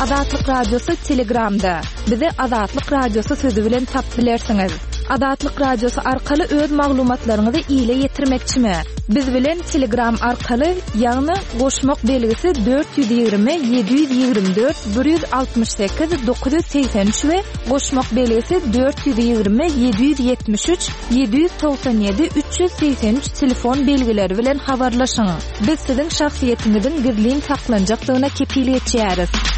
Azatlyk Radiosy Telegramda. Bizi Azatlyk Radiosy sözi bilen tapyp bilersiňiz. Azatlyk Radiosy arkaly öz maglumatlaryňyzy ile ýetirmekçimi? Biz bilen Telegram arkaly, ýagny goşmak belgisi 420 724 168 983 we goşmak belgisi 420 773 797 383 telefon belgileri bilen habarlaşyň. Biz siziň şahsyýetiňiziň gizlin saklanjakdygyna kepil geçýäris.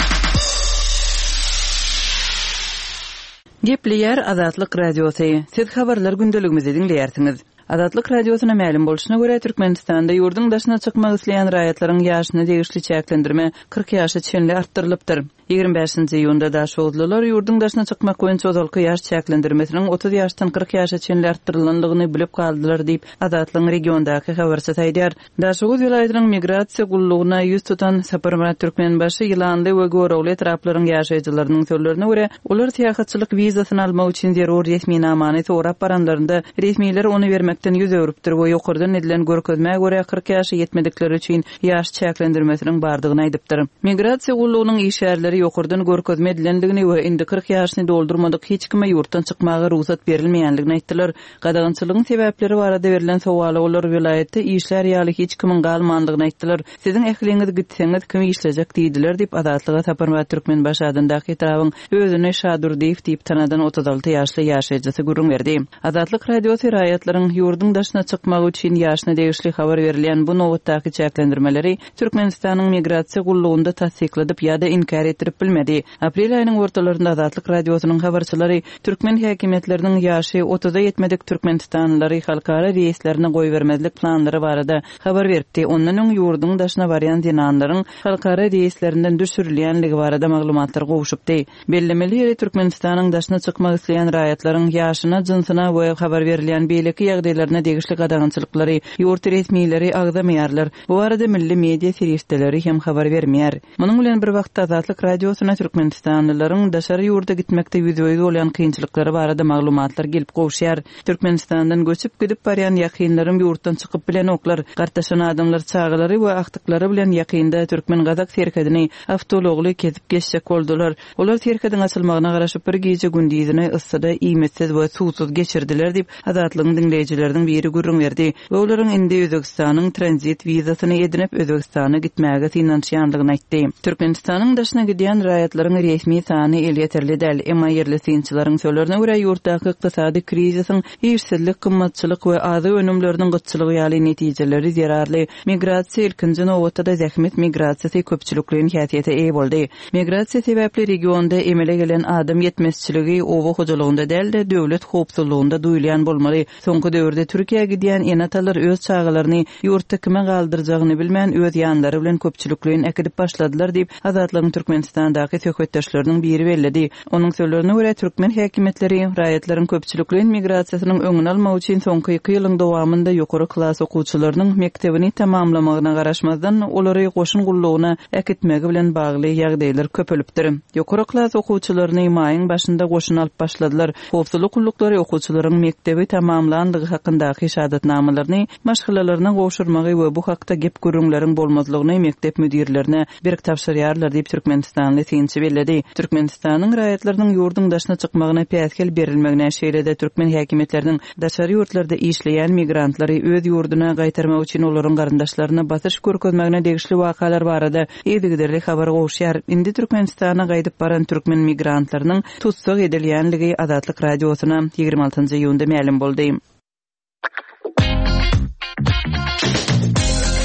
Gepleýär Azatlyk Radiosy, Siz habarlar gündeligimizi diňleýärsiňiz. Azatlyk Radiosyna mälim bolşuna görä, Türkmenistanda ýurduň daşyna çykmak isleýän raýatlaryň ýaşyna degişli çäklendirme 40 ýaşa çenli artdyrylypdyr. 25-nji iýunda daşoguzlylar ýurduň daşyna çykmak boýunça ozalky ýaş çäklendirmesiniň 30 ýaşdan 40 ýaşa çenli artdyrylandygyny bilip galdylar diýip, Azatlygyň regiondaky habarçysy aýdýar. Daşoguz welaýatynyň migrasiýa gullugyna ýüz tutan Saparmyrat Türkmenbaşy, Ýylanly we Görogly etraplaryň ýaşaýjylarynyň sözlerine görä, olar syýahatçylyk wizasyny almak üçin zerur resminamany sorap baranlarynda, resmiler ony bermekden ýüz öwrüpdir we ýokardan edilen görkezmä görä 40 ýaşa ýetmedikler üçin ýaş çäklendirmesiniň bardygyny aýdypdyr. Migrasiýa gullugynyň işgärleri ýokardan görkezme edilendigini we indi 40 ýaşyny doldurmadyk hiç kime ýurtdan çykmaga rugsat berilmeýändigini aýtdylar. Gadagançylygyň sebäpleri barada berlen sowala olar welaýatda işlär ýaly hiç kimiň galmandygyny aýtdylar. Siziň ähliňiz gitseňiz, kim işlejek diýdiler diýip, Azatlyga Saparmyrat Türkmenbaşy adyndaky etrabyň özüni Şadurdyýew diýip tanadan 36 ýaşly ýaşaýjysy gürrüň berdi. Azatlyk Radiosy raýatlaryň ýurduň daşyna çykmagy üçin ýaşyna degişli habar berilýän bu nobatdaky çäklendirmeleri Türkmenistanyň Migrasiýa gullugynda tassykladyp ýa-da inkär etdirip bilmedi. Aprel aýynyň ortalarynda Azatlyk Radiosynyň habarçylary türkmen häkimiýetleriniň ýaşy otuza ýetmedik türkmenistanlylary halkara reýslerine goýbermezlik planlary barada habar beripdi. Ondan öň ýurduň daşyna barýan zenanlaryň halkara reýslerinden düşürilýänligi barada maglumatlar gowşupdy. Bellemeli ýeri, Türkmenistanyň daşyna çykmak isleýän raýatlaryň ýaşyna, jynsyna we habar berilýän beýleki ýagdaýlaryna degişli gadagançylyklary ýurt resmileri agzamaýarlar. Bu barada milli media serişdeleri hem habar bermeýär. Munuň bilen bir wagtda, Azatlyk Radiosyna türkmenistanlylaryň daşary ýurda gitmekde ýüzbe-ýüz bolýan kynçylyklary barada maglumatlar gelip gowuşýar. Türkmenistandan göçüp gidip barýan ýakynlarym ýurtdan çykyp bilenoklar. Gartaşan adamlar çagalary we agtyklary bilen ýakynda türkmen-gazak serhedini awtoulagly kesip geçjek boldular. Olar serhediň açylmagyna garaşyp bir gije-gündizini yssyda iýmitsiz we suwsuz geçirdiler diýip, Azatlygyň diňleýjileriniň biri gürrüň berdi we olaryň indi Özbegistanyň tranzit wizasyny edinip, Özbegistana gitmäge synanyşýandygyny aýtdy. Türkmenistanyň daşyna gidýän raýatlaryň resmi sany elýeterli däl. Emma ýerli synçylaryň sözlerine görä, ýurtdaky ykdysady krizisiň işsizlik, gymmatçylyk we azyk önümleriniň gytçylygy ýaly netijeleri zerarly migrasiýa, ilkinji nobatda-da zähmet migrasiýasy köpçülikleýin häsiýete eýe boldy. Migrasiýa sebäpli regionda emele gelen adam ýetmezçiligi oba hojalygynda däl-de, döwlet howpsuzlygynda duýulýan bolmaly. Soňky döwürde Türkiýä gidýän ene-atalar öz çagalaryny ýurtda kime galdyrjagyny bilmän, öz ýanlary bilen köpçülikleýin äkidip başladylar diýip, Azatlygyň Türkmenistandaky söhbetdeşleriniň biri belledi. Onuň sözlerine görä, türkmen häkimiýetleri raýatlaryň köpçülikleýin migrasiýasynyň öňüni almak üçin soňky iki ýylyň dowamynda ýokary klas okuwçylarynyň mekdebini tamamlamagyna garaşmazdan, olary goşun gullugyna äkitmegi bilen bagly ýagdaýlar köpelipdir. Ýokary klas okuwçylaryny maýyň başynda goşuna alyp başladylar. Howpsuzlyk gulluklary okuwçylaryň mekdebi tamamlandygy hakyndaky şahadatnamalaryny maşgalalaryna gowşurmagy we bu hakda gep-gürrüňleriň bolmazlygyny mekdep müdirlerine berk tabşyrýarlar diýip, türkmenistanly synçy belledi. Türkmenistanyň raýatlarynyň ýurduň daşyna çykmagyna päsgel berilmegine, şeýle-de türkmen häkimiýetleriniň daşary ýurtlarda işleýän migrantlary öz ýurduna gaýtarmak üçin olaryň garyndaşlaryna basyş görkezmegine degişli wakalar barada yzygiderli habar gowuşýar. Indi Türkmenistana gaýdyp baran türkmen migrantlarynyň tussag edilýänligi Azatlyk Radiosyna 26 iýunda mälim boldy.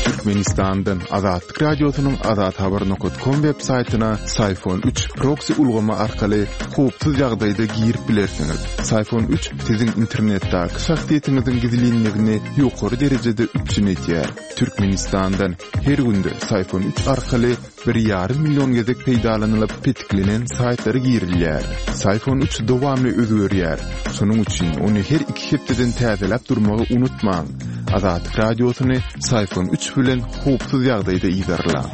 Türkmenistandan Azatlyk Radiosynyň Azathabar nokat kom web saýtyna Syfon 3 proksi ulgamy arkaly howpsuz ýagdaýda girip bilersiňiz. Syfon 3 siziň internetdäki şahsyýetiňiziň gizlinligini ýokary derejede üpjün edýär. Türkmenistandan her günde Syfon 3 arkaly Bir ýarym million gezek peýdalanylyp petiklenen saýtlara girilýär. Syfon 3 dowamly özgerýär. Şonuň üçin ony her iki hepdeden täzeläp durmagy unutmaň. Azatlyk Radiosyny Syfon 3 bilen howpsuz ýagdaýda yzarlaň.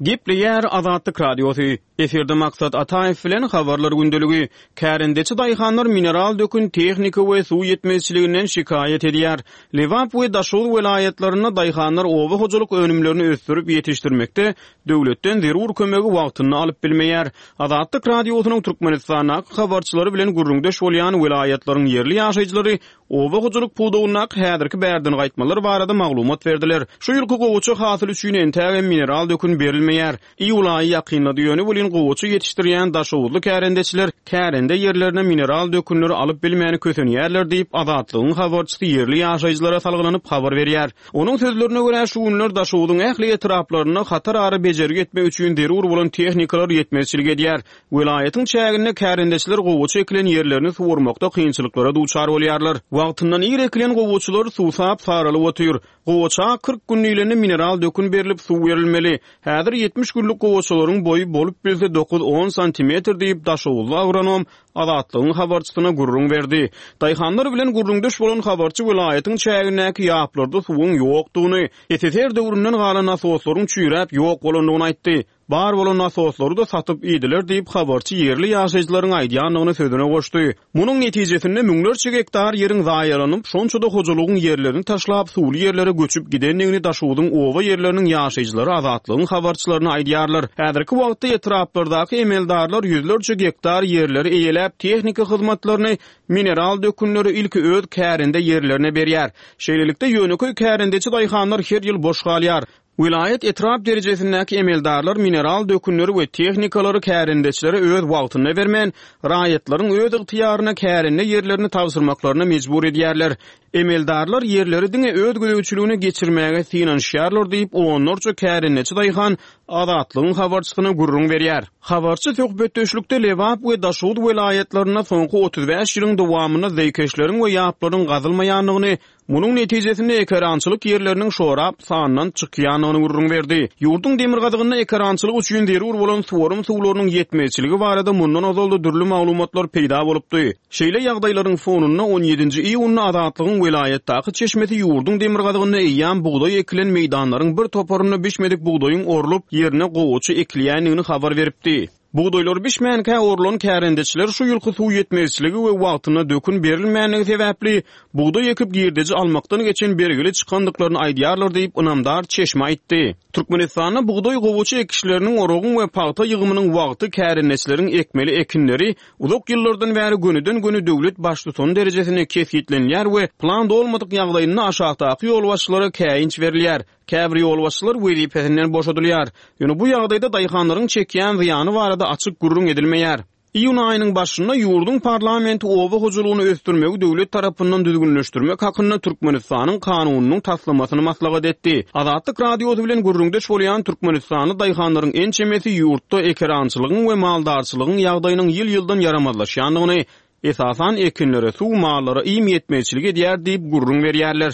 Gepleýär Azatlyk Radiosy, Efirde Maksat Ataýew bilen Habarlar gündeligi. Kärendeçi daýhanlar mineral dökün, tehnika we suw ýetmezçiliginden şikaýat edýär. Lebap we Daşoguz welaýatlarynda daýhanlar oba hojalyk önümlerini ösdürip ýetişdirmekde döwletden zerur kömegi wagtynda alyp bilmeýär. Azatlyk Radiosynyň Türkmenistandaky habarçylary bilen gürrüňdeş bolýan welaýatlaryň ýerli ýaşaýjylary oba hojalyk pudagyndaky häzirki bärden gaýtmalar barada maglumat berdiler. Şu ýylky gowaça hasyly üçin entägem mineral dökün berilmeýär. Iýul aýy ýakynlady, ýöne welin gowaça ýetişdirýän daşoguzly kärendeçiler kärende ýerlerine mineral dökünleri alyp bilmän kösenýärler diýip, Azatlygyň habarçysy ýerli ýaşaýjylara salgylanyp habar berýär. Onuň sözlerine görä, şu günler Daşogzuň ähli etraplarynda hatar-ara bejergi etmek üçin zerur bolan tehnikalar ýetmezçilik edýär. Welaýatyň çäginde kärendeçiler gowaça ekilen ýerlerini suwarmakda kynçylyklara duçar bolýarlar. Wagtyndan ir ekilen gowaçalar suwsap, saralyp otyr. Gowaça 40 gün diýlende mineral dökün berlip, suw berilmeli. Häzir 70 günlük gowaçalaryň boýy bolup bilse dokuz-on santimetr diýip, daşoguzly agronom Azatlygyň habarçysyna gürrüň berdi. Daýhanlar bilen gürrüňdeş bolan habarçy welaýatyň çägindäki ýaplarda suwuň ýokdugyny, SSR döwründen galan nasoslaryň çüýräp ýok bolandygyny aýtdy. Bar bolan nasoslary-da satyp iýdiler diýip, habarçy ýerli ýaşaýjylaryň aýdýandygyny sözüne goşdy. Munuň netijesinde müňlerçe gektar ýeriň zaýalanyp, şonça-da hojalygyň ýerlerini taşlap, suwly ýerlere göçüp gidendigini Daşogzuň oba ýerleriniň ýaşaýjylary Azatlygyň habarçylaryna aýdýarlar. Häzirki wagtda etraplardaky emeldarlar ýüzlerçe gektar ýerleri eýeläp, tehniki hyzmatlaryny, mineral dökünleri ilki öz kärende ýerlerine berýär. Şeýlelikde, ýönekeý kärendeçi daýhanlar her ýyl boş galýar. Welaýat, etrap derejesindäki emeldarlar mineral dökünleri we tehnikalary kärendeçilere öz wagtynda bermän, raýatlaryň öz ygtyýaryna kärende ýerlerini tabşyrmaklaryna mejbur edýärler. Emeldarlar ýerleri diňe öz gözegçiligine geçirmäge synanyşýarlar diýip, onlarça kärendeçi daýhan Azatlygyň habarçysyna gürrüň berýär. Habarçy söhbetdeşlikde Lebap we Daşoguz welaýatlarynda soňky 35 ýylyň dowamynda zeýkeşleriň we ýaplaryň gazylmaýandygyny, Munuň netijesinde ekerançylyk ýerleriniň şorap sandan çykýandygyny gürrüň berdi. Ýurduň demirgazygynda ekerançylyk üçin zerur bolan suwarym suwlarynyň ýetmezçiligi barada mundan ozal-da dürli maglumatlar peýda bolupdy. Şeýle ýagdaýlaryň fonunda on ýedinji iýunda Azatlygyň welaýatdaky çeşmesi ýurduň demirgazygynda eýýäm bugdaý ekilen meýdanlaryň bir toparynda bişmedik bugdaýyň orlup, ýerine gowaça ekilýändigini habar beripdi. Bugdaýlary bişmänkä orlan kärendeçiler şu ýylky suw ýetmezçiligi we wagtynda dökün berilmänligi sebäpli, bugdaý ekip girdeji almakdan geçen bergili çykandyklaryny aýdýarlar diýip, ynamdar çeşme aýtdy. Türkmenistanda bugdaý-gowaça ekişleriniň, oragyň we pagta ýygymynyň wagty kärendeçileriň ekmeli ekinleri uzak ýyllardan bäri gönüden-göni döwlet baştutany derejesinde kesgitlenilýär we plan dolmadyk ýagdaýynda aşakdaky ýolbaşçylara käýinç berilýär. Käbir ýolbaşçylar wezipesinden boşadylýar. Ýöne bu ýagdaýda daýhanlaryň çekýän zyýany barada açyk gürrüň edilmeýär. Iýun aýynyň başynda ýurduň parlamenti oba hojalygyny ösdürmegi döwlet tarapyndan düzgünleşdirmek hakynda Türkmenistanyň kanunynyň taslamasyny maslahat etdi. Azatlyk Radiosy bilen gürrüňdeş bolýan türkmenistanly daýhanlaryň ençemesi ýurtda ekerançylygyň we maldarçylygyň ýagdaýynyň ýyl-ýyldan ýaramazlaşýandygyny, Esasan ekinlere suw, mallara iým ýetmezçilik edýär diýip gürrüň berýärler.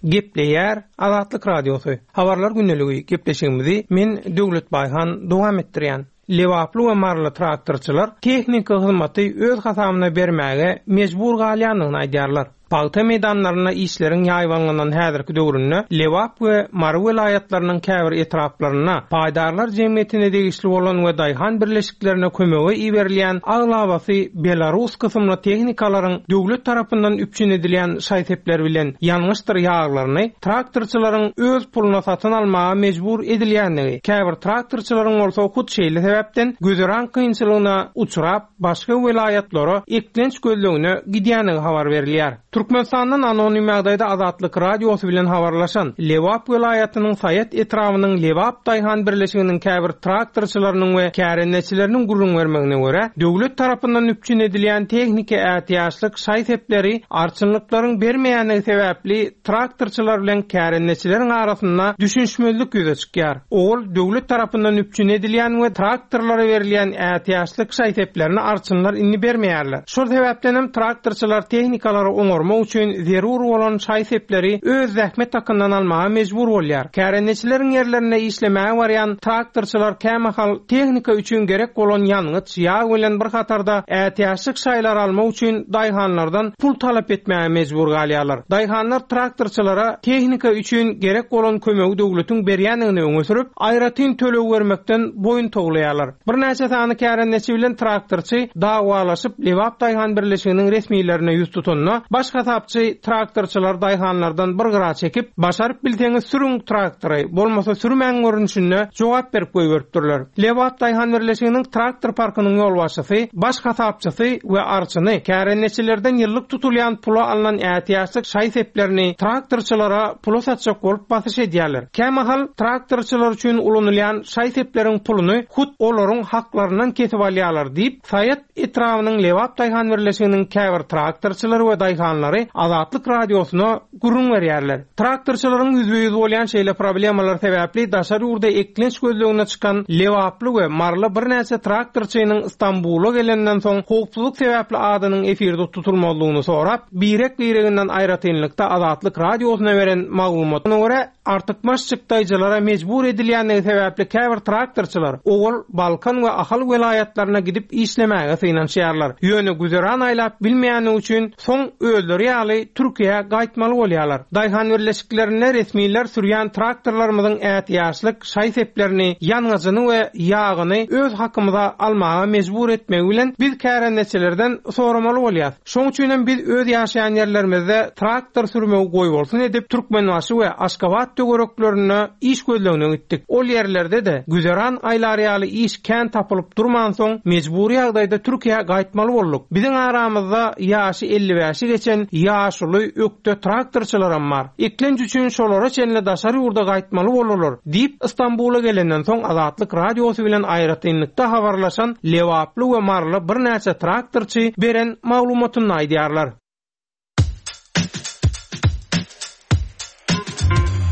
Gepleýär Azatlyk Radiosy. Habarlar gündeligi gepleşigimizi men Döwlet Baýhan dowam etdirýän. Lebaply we maryly traktorçylar tehniki hyzmaty öz hasabyna bermäge mejbur galýandygyny aýdýarlar. Pagta meýdanlarynda işleriň ýaýbaňlanan häzirki döwründe Lebap we Mary welaýatlarynyň käbir etraplarynda paýdarlar jemgyýetine degişli bolan we daýhan birleşiklerine kömege iberilýän aglabasy belarus kysymly tehnikalaryň döwlet tarapyndan üpjün edilýän şaý-sepler bilen ýangyçdyr ýaglaryny traktorçylaryň öz puluna satyn almaga mejbur edilýändigi, käbir traktorçylaryň bolsa hut şeýle sebäpden güzeran kynçylygyna uçrap, başga welaýatlara eklenç gözlegine gidýändigi habar berilýär. Türkmenistandan anonim ýagdaýda Azatlyk Radiosy bilen habarlaşan Lebap welaýatynyň Saýat etrabynyň Lebap daýhan birleşiginiň käbir traktorçylarynyň we kärendeçileriniň gürrüň bermegine görä, döwlet tarapyndan üpjün edilýän tehniki ätiýaçlyk şaý-sepleri arçynlyklaryň bermeýändigi sebäpli traktorçylar bilen kärendeçileriň arasynda düşünişmezlik ýüze çykýar. Ol döwlet tarapyndan üpjün edilýän we traktorlara berilýän ätiýaçlyk şaý-seplerini arçynlar indi bermeýärler. Şol sebäpden hem traktorçylar tehnikalary oňarmak. gurnamak üçin zerur bolan şaý-sepleri öz zähmet hakyndan almaga mejbur bolýar. Kärendeçileriň ýerlerinde işlemäge barýan traktorçylar kämahal tehnika üçin gerek bolan ýangyç, ýag bilen bir hatarda ätiýaçlyk şaýlary almak üçin daýhanlardan pul talap etmäge mejbur galýarlar. Daýhanlar traktorçylara tehnika üçin gerek bolan kömegi döwletiň berýändigini öňe sürüp, aýratyn töleg bermekden boýun towlaýarlar. Birnäçe sany kärendeçi bilen traktorçy dawalaşyp, Lebap daýhan birleşiginiň resmilerine ýüz tutanda, baş hasapçy traktorçylary daýhanlardan bir gyra çekip, Başaryp bilseňiz sürüň traktory, bolmasa sürmäň görnüşinde jogap berip goýberipdirler. Lebap daýhan birleşiginiň traktor parkynyň ýolbaşçysy, baş hasapçysy we arçyny kärendeçilerden ýyllyk tutulýan pula alnan ätiýaçlyk şaý-seplerini traktorçylara pula satjak bolup basyş edýärler. Kämahal traktorçylar üçin ulanylýan şaý-sepleriň puluny hut olaryň haklaryndan kesip alýarlar diýip, Saýat etrabynyň Lebap daýhan birleşiginiň käbir traktorçylary we daýhanlary Azatlyk Radiosyna gürrüň berýärler. Traktorçylaryň ýüzbe-ýüz bolýan şeýle problemalar sebäpli daşary ýurda eklenç gözlegine çykan lebaply we maryly birnäçe traktorçynyň Stambula gelenden soň howpsuzlyk sebäpli adynyň efirde tutulmazlygyny sorap, birek-bireginden aýratynlykda Azatlyk Radiosyna beren maglumatyna görä, artykmaç çykdaýjylara mejbur edilýändigi sebäpli käbir traktorçylar owal Balkan we Ahal welaýatlaryna gidip işlemäge synanyşýarlar. Ýöne güzeran aýlap bilmeýändigi üçin soň özleri ýaly Türkiýä gaýtmaly bolýarlar. Daýhan birleşiklerinde resmiler sürýän traktorlarymyzyň ätiýaçlyk şaý-seplerini, ýangyjyny we ýagyny öz hakymyza almaga mejbur etmegi bilen biz kärendeçilerden soramaly bolýas. Şoň üçinem biz öz ýaşaýan ýerlerimizde traktor sürmegi goýbolsun edip, Türkmenbaşy we Aşgabat töwereklerinde iş gözlegine gitdik. Ol ýerlerde-de güzeran aýlar ýaly iş kän tapylyp durmansoň, mejbury ýagdaýda Türkiýä gaýtmaly bolduk. Biziň aramyzda ýaşy 55-i geçen ýaşuly, ökde traktorçylaram bar. Eklenç üçin şolara çenli daşary ýurda gaýtmaly boldular. Diýip, Stambula gelenden soň Azatlyk Radiosy bilen aýratynlykda habarlaşan lebaply we maryly birnäçe traktorçy beren maglumatynda aýdýarlar.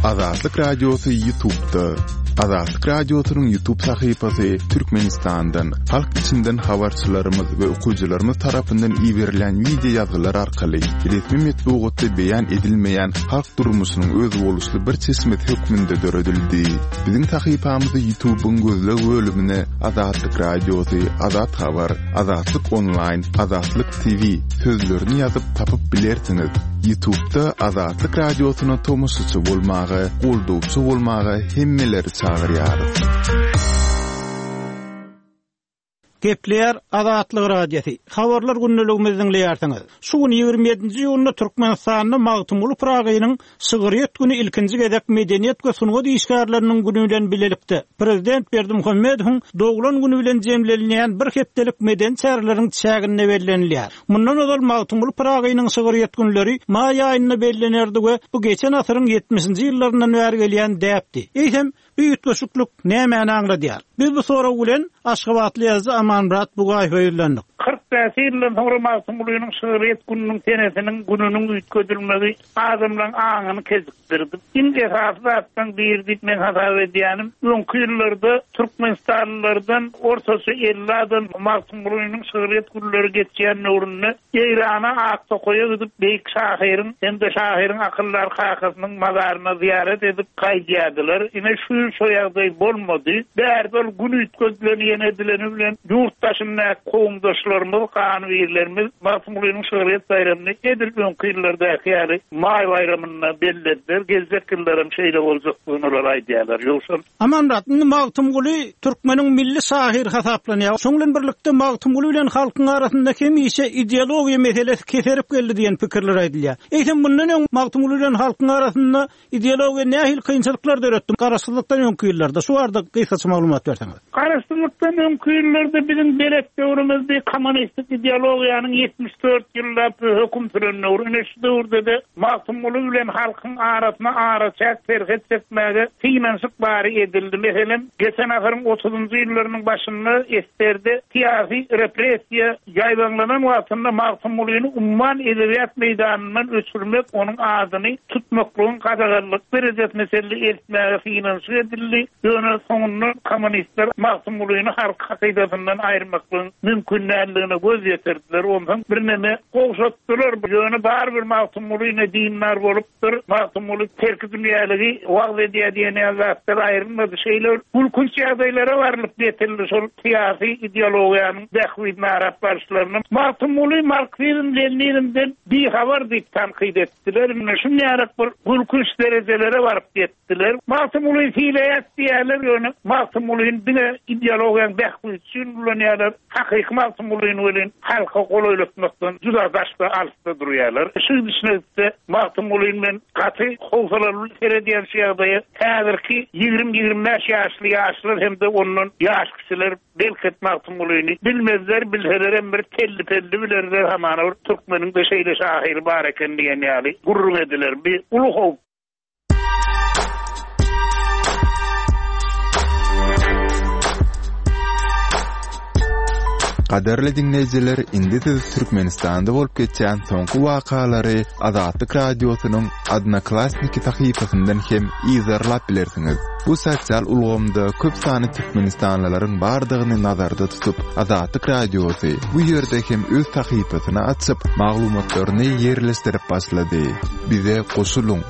Azatlyk Radiosy YouTube'da. Azatlyk Radiosynyň YouTube sahypasy Türkmenistandan, halk içinden habarçylarymyz we okyjylarymyz tarapyndan iberilen wideo ýazgylar arkaly resmi metbugatda beýan edilmeýän halk durmuşynyň özboluşly bir çeşmesi hökmünde döredildi. Biziň sahypamyzy YouTube-yň gözleg bölümine Azatlyk Radiosy, Azat Habar, Azatlyk Onlaýn, Azatlyk TV sözlerini ýazyp tapyp bilersiňiz. YouTube-da Azatlyk Radiosyna tomaşaçy bolmaga, goldawçy bolmaga hemmeleri çagyrýarys. Gepleýär Azatlyk Radiosy. Habarlar gündeligimizi diňleýärsiňiz. Şu gün ýigrimi ýedinji iýunda Türkmenistanda Magtymguly Pyragynyň şygryýet güni ilkinji gezek Medeniýet we sungat işgärleriniň güni bilen bilelikde, Prezident Berdimuhamedowyň doglan güni bilen jemlenilýän bir hepdelik medeni çäreleriň çäginde bellenilýär. Mundan ozal Magtymguly Pyragynyň şygryýet günleri maý aýynda bellenerdi we bu geçen asyryň ýetmişinji ýyllaryndan bäri gelýän däpdi. Eýsem, Bu üýtgeşiklik nämäni aňladýar? Biz bu sorag bilen aşgabatly ýazyjy Amanmyrat Bugaýewe ýüzlendik. 45 ýyldan soňra Magtymgulynyň şygryýet gününiň senesiniň, gününiň üýtgedilmegi adamlaryň aňyny kejikdirdi. Iň esasy zatlaryň biri diýip men hasap edýänim, öňki ýyllarda türkmenistanlylardan ortaça 50 adam Magtymgulynyň şygryýet günleri geçýän döwründe Eýrana Aktokaýa gidip, beýik şahyryň hem-de şahyryň akyldar kakasynyň mazaryna zyýarat edip gaýdýardylar. Ine, şu ýyl şo ýagdaý bolmady. Bärde ol gün üýtgedileni ýene edileni bilen ýurt daşyndaky kowumdaşlarymyz, ganybirlerimiz Magtymgulynyň şygryýet baýramyny edil öňki ýyllardaky ýaly maý baýramynda bellediler. Geljek ýyllaram şeýle boljakdygyny olar aýdýarlar. Ýogsam. Amanmyrat, indi Magtymguly türkmeniň milli şahyry hasaplanýar. Şoň bilen birlikde Magtymguly bilen halkyň arasynda hemişe ideologiýa meselesi keserip geldi diýen pikirler aýdylýar. Eýsem mundan öň Magtymguly bilen halkyň arasynda ideologiýa nähili kynçylyklar döretdi garaşsyzlykdan öňki ýyllarda? Şu barada gysgaça maglumat berseňiz. Garaşsyzlykdan öňki ýyllarda biziň belet döwrümizdi, kommunistik ideologiýanyň 74 ýyllap höküm süren döwri. Ine şu döwürde-de Magtymguly bilen halkyň arasyna araçäk serhet çekmäge synanyşyk bary edildi. Meselem, geçen asyryň otuzynjy ýyllarynyň başynda SSR-de syýasy repressiýa ýaýbaňlanan wagtynda Magtymgulyny umman edebiýat meýdanyndan öçürmek, onuň adyny tutmaklygyň gadaganlyk derejesine çenli eltmäge synanyşyk edildi. Ýöne soňunda kommunistler Magtymgulyny. Magtymgulyny halk hakydasyndan aýyrmaklygyň mümkin däldigine göz ýetirdiler. Onsoň birneme gowşatdylar. Ýöne barybir Magtymguly ne dindar bolupdyr, Magtymguly terkidünýäligi wagyz edýär diýen ýaly zatlar aýrylmady. Şeýle bir gülkünç ýagdaýlara barlyp ýetildi şol syýasy ideologiýanyň bähbidini arap baryşlaryna. Magtymguly marksizm-leninizmden bihabar diýip tankyt etdiler. Ine şunýarak bir gülkünç derejelere baryp ýetdiler. Magtymgulyny sylaýas diýýärler, ýöne Magtymgulyny diňe ideologiýanyň bähbidi üçin ulanýarlar. Hakyky Magtymgulyny welin halka golaýlatmakdan juda daşda, alysda durýarlar. Şu gidişine gitse, Magtymgulyny men gaty howsalaly seredýän şu ýagdaýa. Häzirki 20-25 ýaşly ýaşlar hem-de ondan ýaş kiçiler belki Magtymgulyny bilmezler, bilselerem bir telli-pelli bilerler, hamana bir türkmeniň-de şeýle şahyry bar eken diýen ýaly gürrüň ediler. Bi uly howp. Gadyrly diňleýjiler, indi siz Türkmenistanda bolup geçýän soňky wakalary Azatlyk Radiosynyň Odnoklassniki sahypasyndan hem yzarlap bilersiňiz. Bu sosial ulgamda köp sanly türkmenistanlylaryň bardygyny nazarda tutup, Azatlyk Radiosy bu ýerde hem öz sahypasyny açyp, maglumatlaryny ýerleşdirip başlady. Bize goşulyň!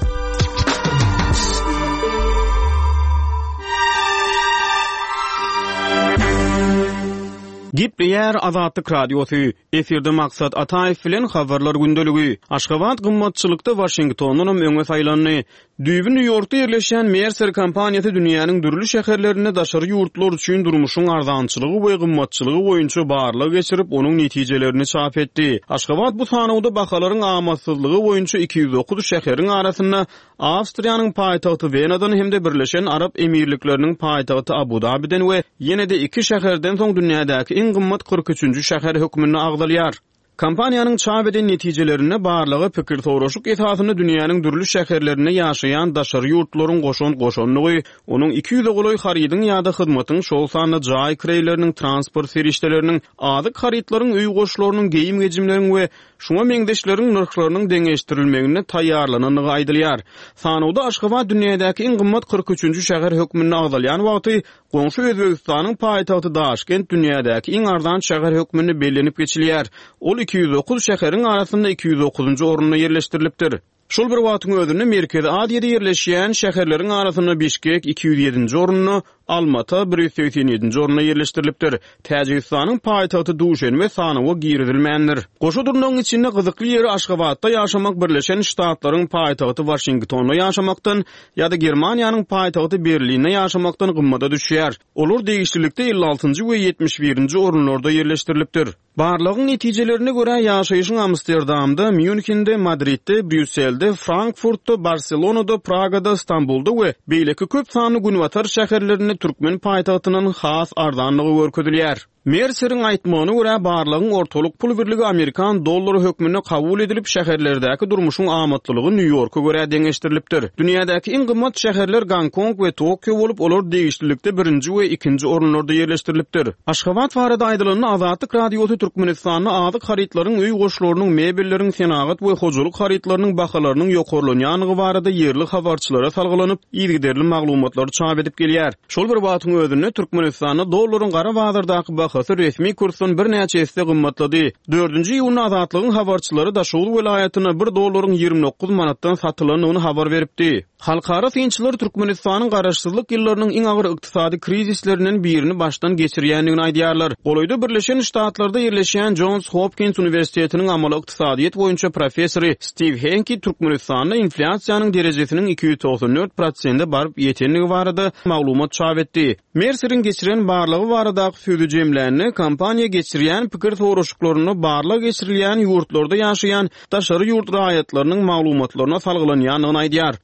Gepleýär Azatlyk Radiosy, Efirde Maksat Ataýew bilen Habarlar gündeligi. Aşgabat gymmatçylykda Waşingtondanam öňe saýlandy. Düýbi Nýu-Ýorkda ýerleşýän Mercer kompaniýasy dünýäniň dürli şäherlerinde daşary ýurtlular üçin durmuşyň arzançylygy we gymmatçylygy boýunça barlag geçirip, onuň netijelerini çap etdi. Aşgabat bu sanawda bahalaryň amatsyzlygy boýunça 209 şäheriň arasynda Awstriýanyň paýtagty Wenadan hem-de Birleşen Arap Emirlikleriniň paýtagty Abu-Dabiden we ýene-de iki şäherden soň dünýädäki iň gymmat 43-nji şäher hökmünde agzalýar. Kompaniýanyň çap eden netijelerinde barlaga pikir soraşyk esasynda dünýäniň dürli şäherlerinde ýaşaýan daşary ýurtlaryň goşant goşandygy, onuň 200-e golaý harydyň ýa-da hyzmatyň, şol sanda jaý kireýleriniň, transport serişdeleriniň, azyk harytlaryň, öý goşlarynyň, geýim-gejimleriň we şuňa meňzeşleriň nyrhlarynyň deňeşdirilmeginde taýýarlanandygy aýdylýar. Sanawda Aşgabat dünýädäki iň gymmat 43-nji şäher hökmünde agzalýan wagty, Goňşy Özbegistanyň paýtagty Daşkent dünýädäki iň arzan şäher hökmünde bellenip geçilýär. Ol 209 şäheriň arasynda 209-njy orunda ýerleşdirilipdir. Şol bir wagtyň özünde Merkezi Aziýada ýerleşýän şäherleriň arasynda Bişkek 207-nji orunda, Almata 187-nji orunda ýerleşdirilipdir. Täjigistanyň paýtagty Duşenbe sanawa girizilmändir. Goşa durnagyň içinde gyzykly ýeri Aşgabatda ýaşamak Birleşen Ştatlaryň paýtagty Waşingtonda ýaşamakdan ýa-da Germaniýanyň paýtagty Berlinde ýaşamakdan gymmada düşýär. Olar degişlilikde 56-njy we 71-nji orunlarda ýerleşdirilipdir. Barlagyň netijelerine görä, ýaşaýşyň Amsterdamda, Mýunhende, Madridde, Brýusselde, Frankfurtda, Barselonada, Pragada, Stambulda we beýleki köp sanly günbatar şäherlerinde türkmen paýtagtyndan has arzandygy görkezilýär. Merseriň aýtmagyna görä, barlagyň ortalyk pul birligi amerikan dollary hökmünde kabul edilip, şäherlerdäki durmuşyň amatlylygy Nýu-Ýorka görä deňeşdirilipdir. Dünýädäki iň gymmat şäherler Gonkong we Tokio bolup, olar degişlilikde birinji we ikinji orunlarda ýerleşdirilipdir. Aşgabat barada aýdylanda, Azatlyk Radiosy Türkmenistanda azyk harytlaryň, öý goşlarynyň, mebelleriň, senagat we hojalyk harytlarynyň bahalarynyň ýokarlanýandygy barada ýerli habarçylara salgylanyp, yzygiderli maglumatlary çap edip gelýär. Şol bir wagtyň özünde, Türkmenistanda dollaryň gara bazardaky bahasy resmi kursdan birnäçe esse gymmatlady. Dördünji iýunda Azatlygyň habarçylary Daşoguz welaýatynda bir dollaryň 29 manatdan satylandygyny habar beripdi. Halkara synçylar Türkmenistanyň garaşsyzlyk ýyllarynyň iň agyr ykdysady krizislerinden birini başdan geçirýändigini aýdýarlar. Golaýda Birleşen Ştatlarda ýerleşýän Jons Hopkins uniwersitetiniň amaly ykdysadyýet boýunça professory Stiw Henki Türkmenistanda inflýasiýanyň derejesiniň 294 prosente baryp ýetendigi barada maglumat çap etdi. Merseriň geçiren barlagy baradaky sözi jemlände, kompaniýa geçirýän pikir soraşyklarynda barlag geçirilýän ýurtlarda ýaşaýan daşary ýurt raýatlarynyň maglumatlaryna salgylanýandygyny aýdýar.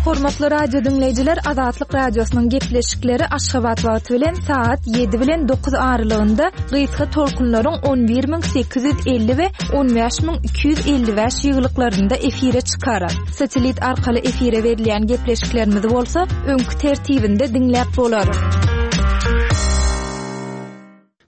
Hormatly radio diňleýjiler, Azatlyk Radiosynyň gepleşikleri Aşgabat wagty bilen sagat 7 bilen 9 aralygynda gysga tolkunlaryň 11850 we 15255 ýygylyklarynda efire çykar. Satelit arkaly efire berilýän gepleşiklerimizi bolsa öňki tertibinde diňläp bolar.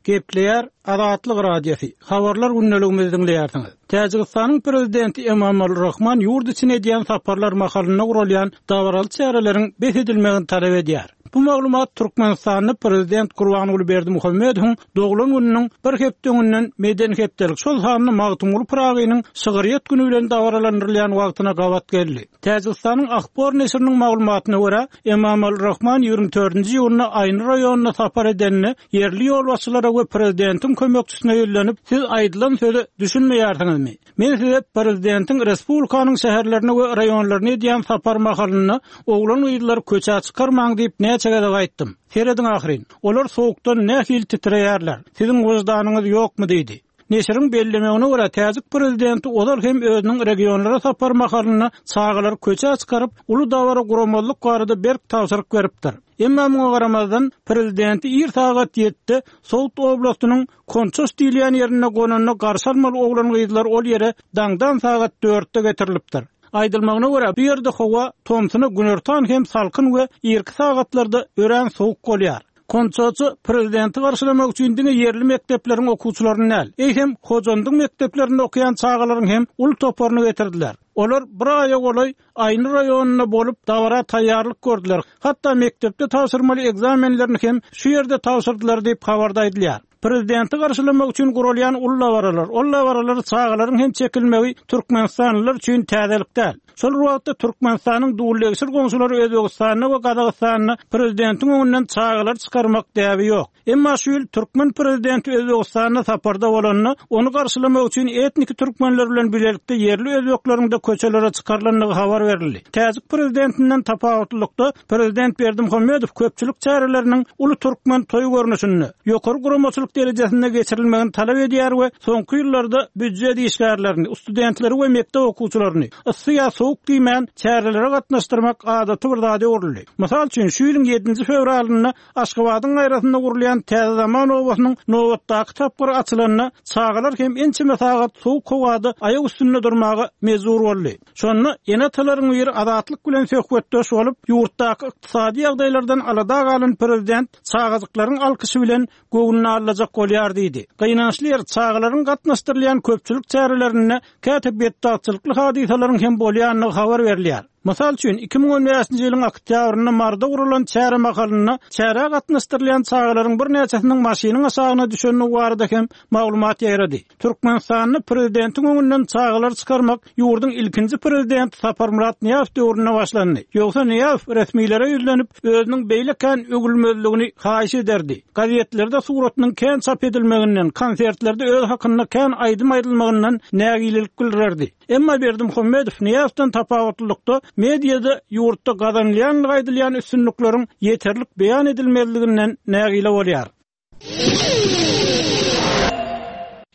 Gepleýär Azatlyk Radiosy, Habarlar gündeligimizi diňleýärsiňiz. Täjigistanyň Prezidenti Emomali Rahman ýurt içine edýän saparlar mahalynda guralýan dabaraly çäreleriň bes edilmegini talap edýär. Bu maglumat Türkmenistanda Prezident Gurbanguly Berdimuhamedowyň doglan gününiň bir hepde öňünden Medeni hepdelik, şol sanda Magtymguly Pyragynyň şygryýet güni bilen dabaralandyrylýan wagtyna gabat geldi. Täjigistanyň Ahbor neşiriniň maglumatyna görä, Emomali Rahman 24-nji iýunda Aýny raýonyna sapar edende, ýerli ýolbaşçylara we prezidentiň kömekçisine ýüzlenip, Siz aýdylan söze düşünmeýärsiňizmi? Men size prezidentiň respublikanyň şäherlerine we raýonlaryna edýän sapary mahalynda oglan-gyzlary köçä çykarmaň diýip näçe gezek aýtdym. Serediň ahyryn, olar sowukdan nähili titreýärler. Siziň wyždanyňyz ýokmy diýdi. Neşiriň bellemegine görä, täjik prezidenti ozal hem özüniň regionlara sapary mahalynda çagalary köçä çykaryp, uly dabara guramazlyk barada berk tabşyryk beripdir. Emma muňa garamazdan, prezidenti ir sagat ýedide Sogd oblastynyň Konçoş diýilýän ýerinde gonanda garşy almaly oglan-gyzlar ol ýere daňdan sagat dörtde getirilipdir. Aýdylmagyna görä, bu ýerde howa tomsuna günortan hem salkyn we irki sagatlarda örän sowuk bolýar. Konçoça prezidenti garşylamak üçin diňe ýerli mekdepleriň okuwçylaryny däl, eýsem, Hojandyň mekdeplerinde okaýan çagalaryň hem uly toparyny getirdiler. Olar bir aýa golaý Aýny raýonynda bolup, dabara taýýarlyk gördüler, hatda mekdepde tabşyrmaly ekzamenlerini hem şu ýerde tabşyrdylar diýip, habarda aýdylýar. Prezidenti garşylamak üçin guralýan uly dabaralar, ol dabaralara çagalaryň hem çekilmegi türkmenistanlylar üçin täzelik däl. Şol bir wagtda, Türkmenistanyň dullegşir goňşulary Özbegistanda we Gazagystanda prezidentiň öňünden çagalary çykarmak däbi ýok. Emma şu ýyl türkmen prezidenti Özbegistanda saparda bolanda, ony garşylamak üçin etniki türkmenler bilen bilelikde ýerli özbekleriň-de köçelere çykarylandygy habar berildi. Täjik prezidentinden tapawutlylykda, prezident Berdimuhamedow köpçülik çäreleriniň uly türkmen toýy görnüşinde, ýokary guramaçylyk derejesinde geçirilmegini talap edýär we soňky ýyllarda býujet işgärlerini, studentleri we mekdep okuwçylaryny, yssy ýa sowuk diýmän, çärelere gatnaşdyrmak adaty bir zada öwrüldi. Mysal üçin, şu ýylyň ýedinji fewralynda Aşgabadyň gaýrasynda gurulýan Täze Zaman obasynyň nobatdaky tapgyry açylanda, çagalar hem ençeme sagat sowuk howada aýak üstünde durmaga mejbur boldy. Şonda ene-atalaryň biri Azatlyk bilen söhbetdeş bolup, ýurtdaky ykdysady ýagdaýlardan alada galan prezident çagajyklaryň alkyşy bilen göwnüni aldajak bolýar diýdi. Gynançly ýeri, çagalaryň gatnaşdyrylýan köpçülik çärelerinde käte betbagtçylykly hadysalaryň hem bolýandygy habar berilýär. Mysal üçin, 2015-nji ýylyň oktýabrynda Maryda guralan çäre mahalynda çärä gatnaşdyrylýan çagalaryň birnäçesiniň maşynyň aşagyna düşendigi barada hem maglumat ýaýrady. Türkmenistanda prezidentiň öňünden çagalary çykarmak ýurduň ilkinji prezidenti Saparmyrat Nyýazow döwründe başlandy. Ýogsa Nyýazow resmilere ýüzlenip, özüniň beýle kän öwülmezligini haýyş ederdi. Gazetlerde suratynyň kän çap edilmeginden, konsertlerde özi hakynda kän aýdym aýdylmagyndan nägilelik bildirerdi. Emma Berdimuhamedow Nyýazowdan tapawutlylykda mediada ýurtda gazanylýandygy aýdylýan üstünlikleriň ýeterlik beýan edilmezliginden nägile bolýar.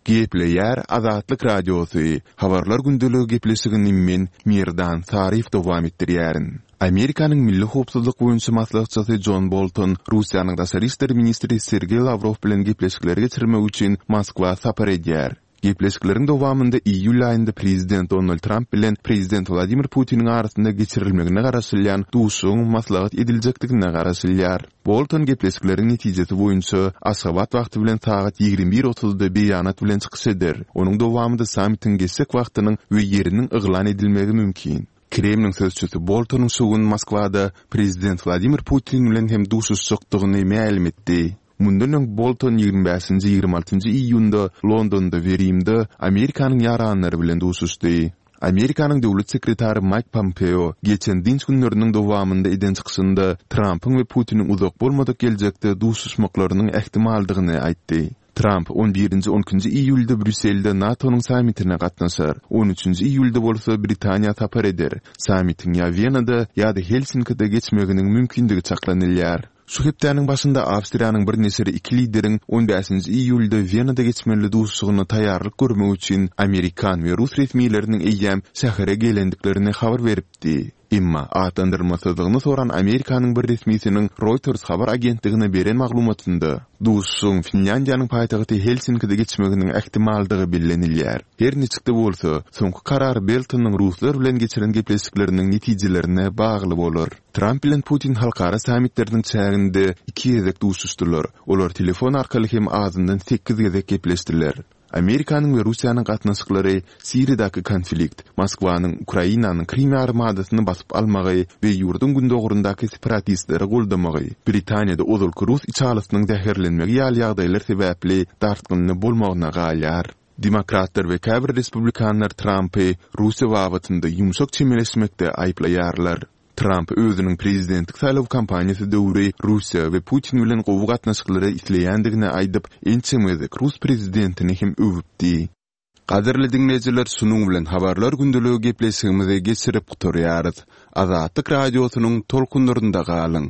Gepleýär Azatlyk Radiosy, Habarlar gündeligi gepleşigini men, Merdan Saryýew dowam etdirýärin. Amerikanyň milli howpsuzlyk boýunça maslahatçysy Jon Bolton Russiýanyň daşary işler ministri Sergeý Lawrow bilen gepleşikleri geçirmek üçin Moskwa sapar edýär. Gepleşikleriň dowamynda iýul aýynda prezident Donald Tramp bilen prezident Wladimir Putiniň arasynda geçirilmegine garaşylýan duşuşygyň maslahat ediljekdigine garaşylýar. Bolton gepleşikleriň netijesi boýunça Aşgabat wagty bilen sagat 21 otuzda beýanat bilen çykyş eder. Onuň dowamynda sammitiň geçjek wagtynyň we ýeriniň yglan edilmegi mümkin. Kremliň sözçüsi Boltonyň şu gün Moskwada prezident Wladimir Putin bilen hem duşuşjakdygyny mälim etdi. Mundan öň Bolton 25-nji, 26-njy iýunda Londonda we Rimde Amerikanyň ýaranlary bilen duşuşdy. Amerikanyň döwlet sekretary Maýk Pompeo geçen dynç günleriniň dowamynda eden çykyşynda Trampyň we Putiniň uzak bolmadyk geljekde duşuşmaklarynyň ähtimaldygyny aýtdy. Tramp on birinji, on ikinji iýulda Brýusselde NATO-nyň sammitine gatnaşar, on üçünji iýulda bolsa Britaniýa sapar eder. Sammitiň ýa Wenada, ýa-da Helsinkide geçmeginiň mümkindigi çaklanylýar. Şu hepdäniň başynda Awstriýanyň bir neşiri iki lideriň on bäşinji iýulda Wenada geçmeli duşuşygyna taýýarlyk görmek üçin amerikan we rus resmileriniň eýýäm şähere gelendiklerini habar beripdi. Emma atlandyrylmasyzlygyny soran Amerikanyň bir resmisiniň Reuters habar agentligine beren maglumatynda, duşuşygyň Finlýandiýanyň paýtagty Helsinkide geçmeginiň ähtimaldygy bellenilýär. Her niçik-de bolsa, soňky karar Beltonyň ruslar bilen geçiren gepleşikleriniň netijelerine bagly bolar. Tramp bilen Putin halkara sammitleriniň çäginde iki gezek duşuşdylar. Olar telefon arkaly hem azyndan sekiz gezek gepleşdiler. Amerikanyň we Russiýanyň gatnaşyklary Siriýadaky konflikt, Moskwanyň Ukrainanyň Krym ýarymadasyny basyp almagy we ýurduň gündogaryndaky separatistleri goldamagy, Britaniýada ozalky rus içalysynyň zäherlenmegi ýaly ýagdaýlar sebäpli dartgynly bolmagyna galýar. Demokratlar we käbir respublikanlar Trampy Russiýa babatynda ýumşak çemeleşmekde aýyplaýarlar. Tramp özüniň prezidentlik saýlaw kampaniýasy döwri Russiýa we Putin bilen gowy gatnaşyklary isleýändigini aýdyp, ençeme gezek rus prezidentini hem öwüpdi. Gadyrly diňleýjiler şunuň bilen Habarlar gündeligi gepleşigimizi geçirip gutarýarys. Azatlyk Radiosynyň tolkunlarynda galyň!